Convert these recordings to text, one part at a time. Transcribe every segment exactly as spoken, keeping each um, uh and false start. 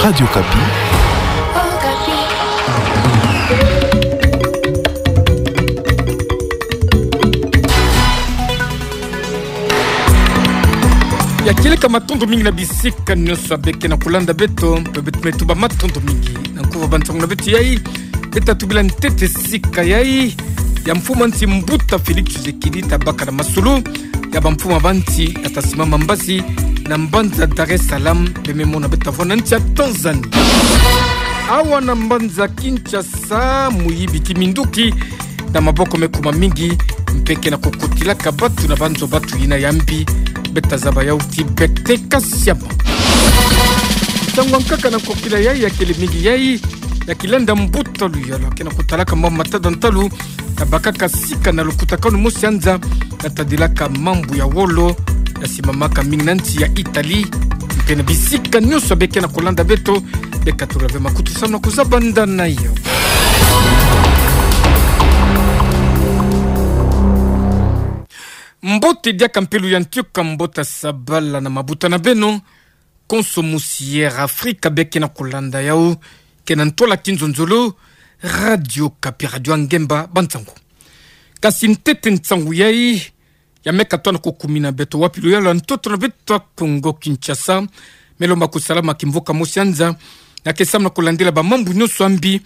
Radio Okapi. Ya kieleka matondo mingi na bisika nyonso ya beke na kolanda beto, beto me tuba matondo mingi. Na nkuva bansangu na beto yai, beta tubila ntete sika yai, ya mfumu a nsi Mbuta Félix Tshisekedi tabaka na masolo ya bamfumu ya bansi ya tasimama mbasi na mbanza Dar es Salaam, beme mona beta vwa na nsi ya Tanzanie. Awa na mbanza Kinshasa, muyibi ki minduki na maboko me kuma mingi, mpe ke na kokotilaka batu na banzo batu yina ya mbi, beta zaba yau ti bete kasiama. Ntangu ya nkaka na nkokila yai ya kele mingi yai, ya kilenda mbuta luyala ke na kotalaka mama matada ntalu, ya bakaka sika na lukutakanu mosi ya nza, ya tadilaka mambu ya wolo, ya simamaka mingi na nsi ya Italie, mpe na bisika nyonso beke na kolanda beto, beka tula ve makutu samu na kuzaba nda na yo. Mbote diaka mpe luyantika mbote sabala na mabuta na beno, konso musi Air Afrika beke na kolanda yau, ke na ntola kinzonzolo, Radio Okapi, radio ya ngemba bansangu. Kasi ntete nsangu yai, ya me katona kokumina beto wapi luyala ntoto na beto ya Kongo Kinshasa, me lomba kusalama kimvuka mosi ya nza, ya ke samu na kolandila bamambu nyonso ya mbi,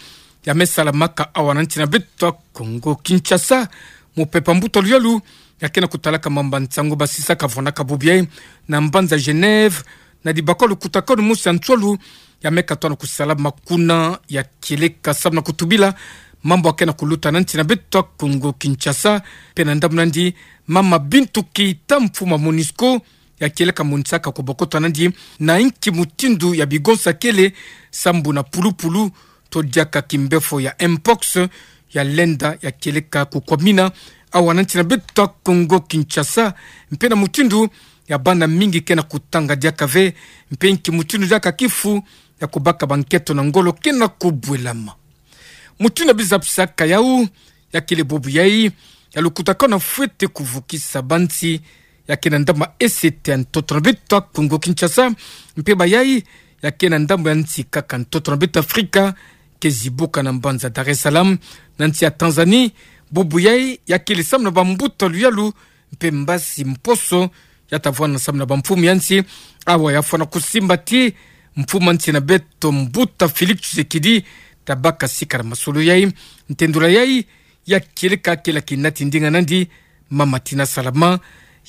ya me salamaka awa na nsi na beto ya Kongo Kinshasa, mupepa mbuta luyalu, ya ke na kotalaka mamba nsangu basisaka vwanaka bubu yai, na mbanza Genève, na dibakwa lukutakanu mosi ya nswalu, ya me katona kusalama kuna ya kieleka samu na kutubila mambu ya ke na kuluta na nsi na beto ya Kongo Kinshasa, mpe na ndambu na ndi, mama Bintou Keita mfumu a MONUSCO, ya kieleka monisaka kobokota na ndi, na inki mutindu ya bigonsa kele, sambu na pulupulu, to diaka kimbefo ya mpox, ya lenda ya kieleka kukwamina awa na nsi na beto ya Kongo Kinshasa, mpe na mutindu ya bana mingi ke na kutanga diaka ve, mpe inki mutindu diaka kifu ya kobaka banketo na ngolo ke na kubwelama. Mutindu ya bizapisaka yau, ya kele bubu yai, ya lukutakanu fwete kuvukisa bansi, ya ke na ndambu ya ese ya ntoto na beto ya Kongo Kinshasa, mpe bayai, ya ke na ndambu ya nsi kaka ntoto na beto Afrika, ke zibuka na mbanza Dar es Salaam, na nsi ya Tanzanie, bubu yai, ya kele samu na bambuta luyalu, mpe mbasi mposo, ya tavwanda samu na bamfumu ya nsi, awa ya fwana kusimba ti, mfumu a nsi na beto Mbuta Félix Tshisekedi, tabaka sika na masolo yai, ntendula yai, ya kieleka kele kinati ndinga na ndi, mama Tina Salama,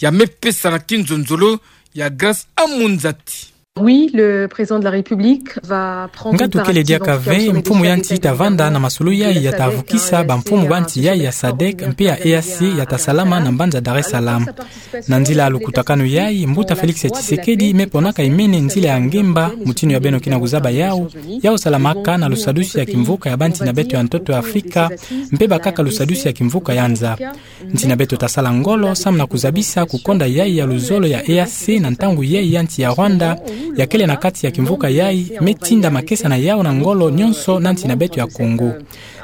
ya me pesa na kinzonzolo, ya Grace Amunzati. Oui, le président de la République va prendre part active en tout cas au sommet des chefs d'État et de gouvernement de l'Union africaine. Ngatu kele diaka ve, mfumu yai titavanda na masolo yai ya tavukisa bamfumu ba nsi yai ya SADC, mpe ya EAC ya tasalama na mbanza Dar es Salaam. Na nzila ya lukutakanu yai, Mbuta Félix Tshisekedi me ponaka imene nzila ya ngemba, mutindu ya beno ke na kuzaba yau, yau salamaka na lusadusu ya kimvuka ya bansi na beto ya ntoto ya Afrika, mpe bakaka lusadusu ya kimvuka ya nza. Nsi na beto tasala ngolo, samu na kuzabisa kukonda yai ya luzolo ya EAC na ntangu yai ya nsi ya Rwanda, ya kele na kati ya kimvuka yai, me tinda makesa na yau na ngolo nyonso na nsi na beto ya Kongo.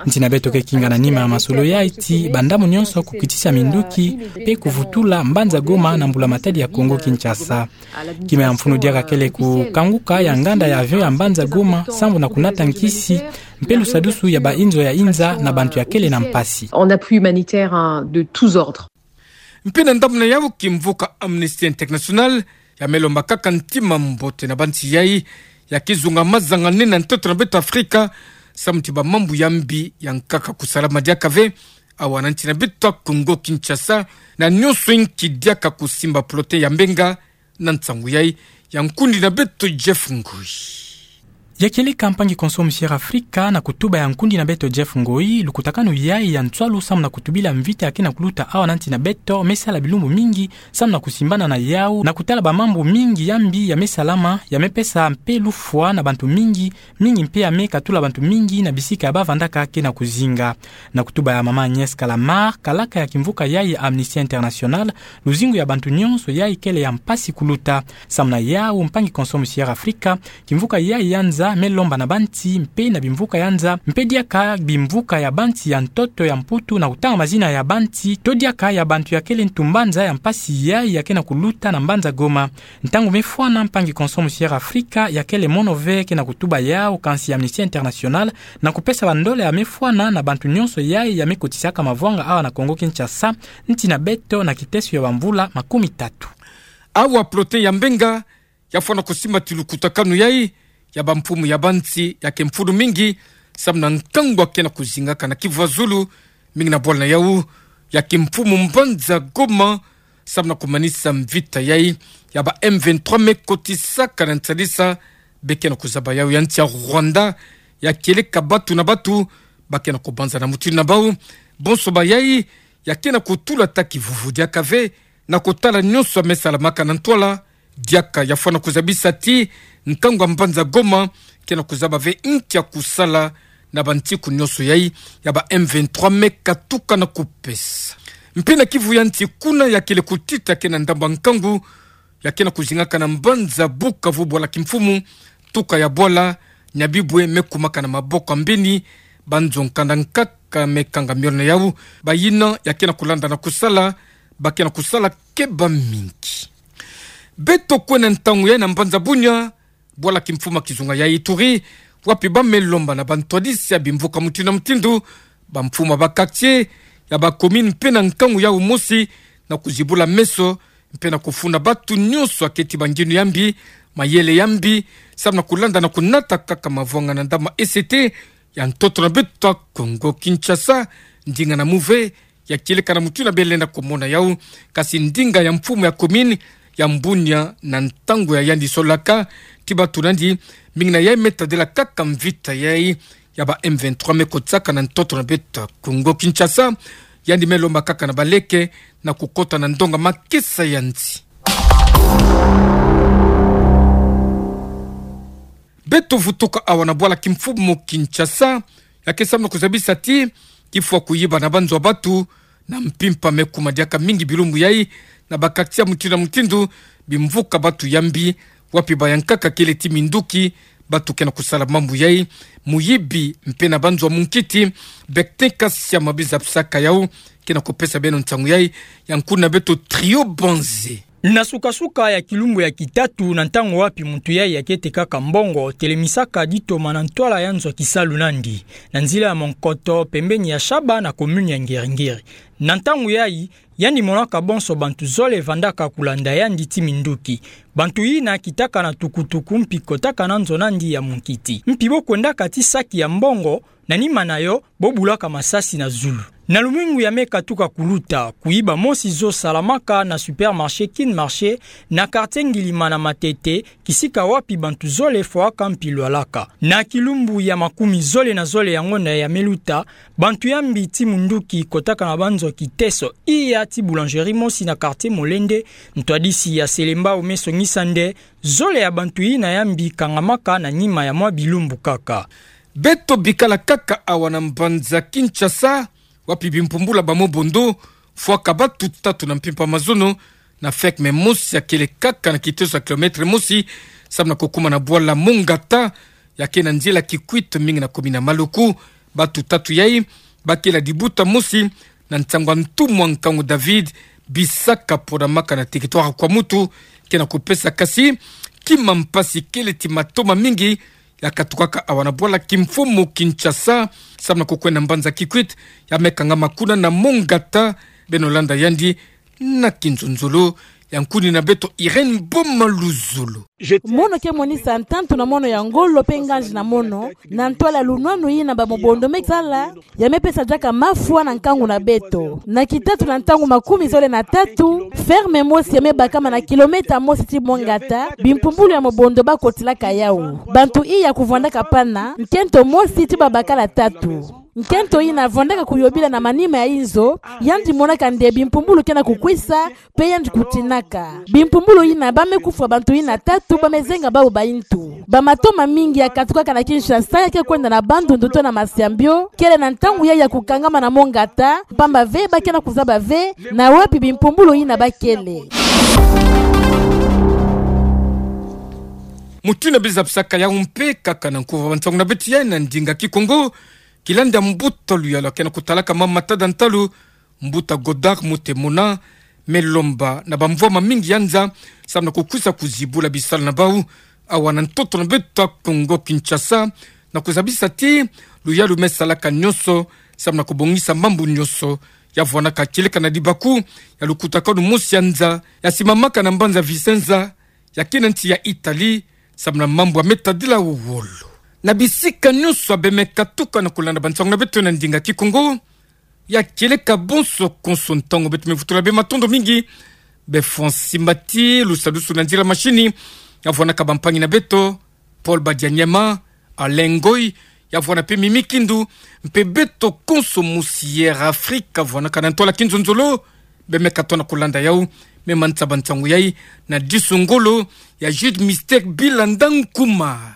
Nsi na beto ke kinga na nima ya masolo yai ti bandamu nyonso kukitisa minduki, mpe kuvutula mbanza Goma na mbula matadi ya Kongo Kinshasa. Kima ya mfunu diaka kele kukanguka ya nganda ya avion ya mbanza Goma, sambu na kunata nkisi, mpe lusadusu ya bainzo ya inza na bantu ya kele na mpasi. En appui humanitaire, hein, de tous ordres. Mpe na ndambu na yau kimvuka Amnesty International, ya me lomba kaka ntima mbote na bansi yai, ya kizunga mazanganene na ntoto na beto Afrika, samu ti bamambu ya mbi ya nkaka kusalama diaka ve, awa na nsi na beto Kongo Kinshasa, na nyonso inki diaka kusimba plotin ya mbenga, na nsangu yai, ya nkundi na beto Jeff Ngoi. Ya kieleka mpangi konso musi Air Afrika na kutuba ya nkundi na beto Jeff Ngoi, lukutakanu yai ya nswalu samu na kutubila mvita ya ke na kuluta awa na nsi na beto, me sala bilumbu mingi, samu na kusimbana na yau, na kutala bamambu mingi ya mbi ya me salama, ya me pesa mpe lufwa na bantu mingi, mingi mpe ya me katula bantu mingi na bisika ya bavandaka ke na kuzinga. Na kutuba ya mama Agnès Callamard, kalaka ya kimvuka yai ya Amnesty International, luzingu ya bantu nyonso yai kele ya mpasi kuluta. Samu na yau mpangi konso musi Air Afrika, kimvuka yai ya nza Kinshasa me lomba na bansi mpe na bimvuka ya nza, mpe diaka bimvuka ya bansi ya ntoto ya Mputu na kutanga mazina ya bansi, to diaka ya bantu ya kele ntu mbanza ya mpasi yayi ya ke na kuluta na mbanza Goma. Ntangu me fwana, mpangi Konso Musiere Afrika ya kele mono ve ke na kutuba yawu, kansi Amnesty International na kupesa bandola ya me fwana na bantu nyonso yayi ya me kotisaka mavwanga awa na Kongo Kinshasa, nsi na beto na kiteso ya bamvula makumi tatu. Awa prote ya Mbenga ya fwana kusimba ti lukutakanu yayi ya bamfumu ya bansi ya ke mfunu mingi, samu na nkangu ya ke na kuzingaka na Kivu ya Zulu, mingi na bwala na yawu ya kimfumu mbanza Goma, samu na kumanisa mvita yayi ya ba M vingt-trois me kotisaka na nsalisa be ke na kuzaba yawu ya nsi ya Rwanda, ya kieleka batu na batu ba ke na kubanza na mutindu na bawu. Bonso bayayi ya ke na kutula ata kivuvu diaka ve na kotala nyonso ya me salamaka na ntwala. Diaka ya fwana kuzabisa ti nkangu ya mbanza Goma ke na kuzaba ve nki ya kusala na bansiku nyonso yayi ya ba M vingt-trois me katuka na kupesa. Mpe na Kivu ya nsi kuna, ya kele kutita ke na ndambu ya nkangu ya ke na kuzingaka na mbanza Bukavu, bwala kimfumu, tuka ya bwala Nyabibwe me kumaka na maboko ya mbeni banzo nkanda nkaka me kanga miole na yawu. Bayina ya ke na kulanda na kusala, ba ke na kusala keba mingi. Beto kwenda ntangu yayi na mbanza Bunia, bwala kimfumu ya kizunga ya Ituri, wapi ba me lomba na bantwadisi ya bimvuka mutindu na mutindu, bamfumu ya ba quartier ya ba commune mpe na nkangu yawu mosi na kuzibula meso mpe na kufunda batu nyonso ya keti banginu ya mbi, mayele ya mbi, samu na kulanda na kunata kaka mavwanga na ndambu ya E C T ya ntoto na beto ya Kongo Kinshasa, ndinga na muve ya kieleka na mutindu na bele na kumona yawu. Kasi ndinga ya mfumu ya commune ya Bunia, na ntangu ya yandi solaka ti batu na yandi, mingi na yayi me tadila kaka mvita yayi ya ba M vingt-trois me kotisaka na ntoto na beto ya Kongo Kinshasa, yandi me lomba kaka na baleke na kukota na ndonga makesa ya nsi. Beto vutuka awa na bwala kimfumu Kinshasa, ya ke samu na kuzabisa ti kifwa kuyiba na banzo ya batu na mpimpa me kuma diaka mingi bilumbu yayi na ba quartier mutindu na mutindu, bimvuka batu ya mbi, wapi bayankaka kele ti minduki, batu ke na kusala mambu yayi, muyibi mpe na banzo ya munkiti. Bektin Kasiama bi zabisaka yawu, ke na kupesa beno nsangu yayi, ya nkuna beto Trio Banze. Na sukasuka ya kilumbu ya kitatu, na ntangu wapi muntu yayi ya keti kaka mbongo, telemisaka ditoma na ntwala ya nzo ya kisalu na yandi, na nzila ya Monkoto, pembeni ya Shaba na commune ya Ngiri-Ngiri. Na ntangu yayi, yandi monaka bonso bantu zole vandaka kulanda yandi ti minduki. Bantu yina kitaka na tukutuku mpi kotaka na nzo na yandi ya munkiti. Mpi bo kwendaka ti saki ya mbongo, na nima na yo, bo bulaka masasi na zulu. Na lumingu ya me katuka kuluta, kuyiba mosi zo salamaka na supermarché Kin Marché, na quartier Ngilima na Matete, kisika wapi bantu zole fwaka mpi lwalaka. Na kilumbu ya makumi zole na zole ya ngonda ya me luta, bantu ya mbi ti minduki kotaka na banzo ya kiteso iya ti boulangerie mosi na quartier Molende, ntwadisi ya Selembao me songisa nde zole ya bantu yina ya mbi kangamaka na nima ya mwa bilumbu kaka. Beto bikala kaka awa na mbanza Kinshasa, wapi bimpumbulu ya ba mobondo fwaka batu tatu na mpimpa mazono, na ferme mosi ya kele kaka na kiteso ya kilomètre mosi, samu na kukuma na bwala Mongata, ya ke na nzila Kikwit, mingi na commune ya Maluku. Batu tatu yayi ba kele ya dibuta mosi na nsangu ya ntumwa Nkangu David, bisaka pona maka na territoire ya Kwamouth, ke na kupesa kasi kima mpasi kele ti matoma mingi ya katukaka awa na bwala kimfumu Kinshasa, samu na kukwenda mbanza Kikwit, ya me kangama kuna na Mongata. Beno landa yandi na kinzonzolo ya nkuni na beto Irène Boma Luzolo. Mono ke monisa ntantu na mono ya ngolo mpe nganzi na mono, na ntwala ya lunwanu yina ba mobondo me sala, ya me pesa diaka mafwa na nkangu na beto. Na kitatu na ntangu makumi zole na tatu, ferme mosi ya me bakama na kilomètre mosi ti Mongata, bimpumbulu ya mobondo ba kotilaka yawu. Bantu iya kuvwandaka pana, nkento mosi ti babakala tatu. Nkento yina avwandaka kuyobila na manima ya inzo, yandi monaka nde bimpumbulu ke na kukwisa, mpe yandi kutinaka. Bimpumbulu yina ba me kufwa bantu yina tatu ba me zenga bawu bayintu. Ba matoma mingi ya katukaka na Kinshasa ya ke kwenda na Bandundu to na Masiambio, kele na ntangu yayi ya kukangama na Mongata, mpamba ve ba ke na kuzaba ve na wapi bimpumbulu yina ba kele. Muti na biza bisaka yau mpe kaka na nkuva wa nsangu na beto ya na ndinga Kikongo, kilanda mbuta luyalu ya kena kutalaka mama tada ntalu, mbuta Godard Mutemona, me lomba na bamvwama mingi ya nza, samu na kukwisa kuzibula bisalu na bau, awa na ntoto na beto Kongo Kinshasa, na kuzabisa ti luyalu me salaka nyonso, samu na kubongisa mambu nyonso, ya vwanaka kieleka na dibaku ya lukutakanu mosi ya nza, ya simamaka na mbanza Vicenza, ya kena nsi ya Italie, samu na mambu ya me tadila wolo. Na bisika nyonso abe me katuka na kulanda bansangu na beto na ndinga Kikongo, ya kieleka bonso konso ntangu beto me vutula be matondo mingi, be Francis Mbati, lusadusu na nzila mashini, ya vwanaka bampangi na beto, Paul Badianyema, Alain Ngoy, ya vwana mpe Mimi Kindu, mpe beto konso mosi Air Afrique, ya vwanaka na ntwala kinzonzolo, be me katoa na kulanda yau, me manisa bansangu yai, na disu ngolo, ya Jude Mystère Bilanda Nkuma.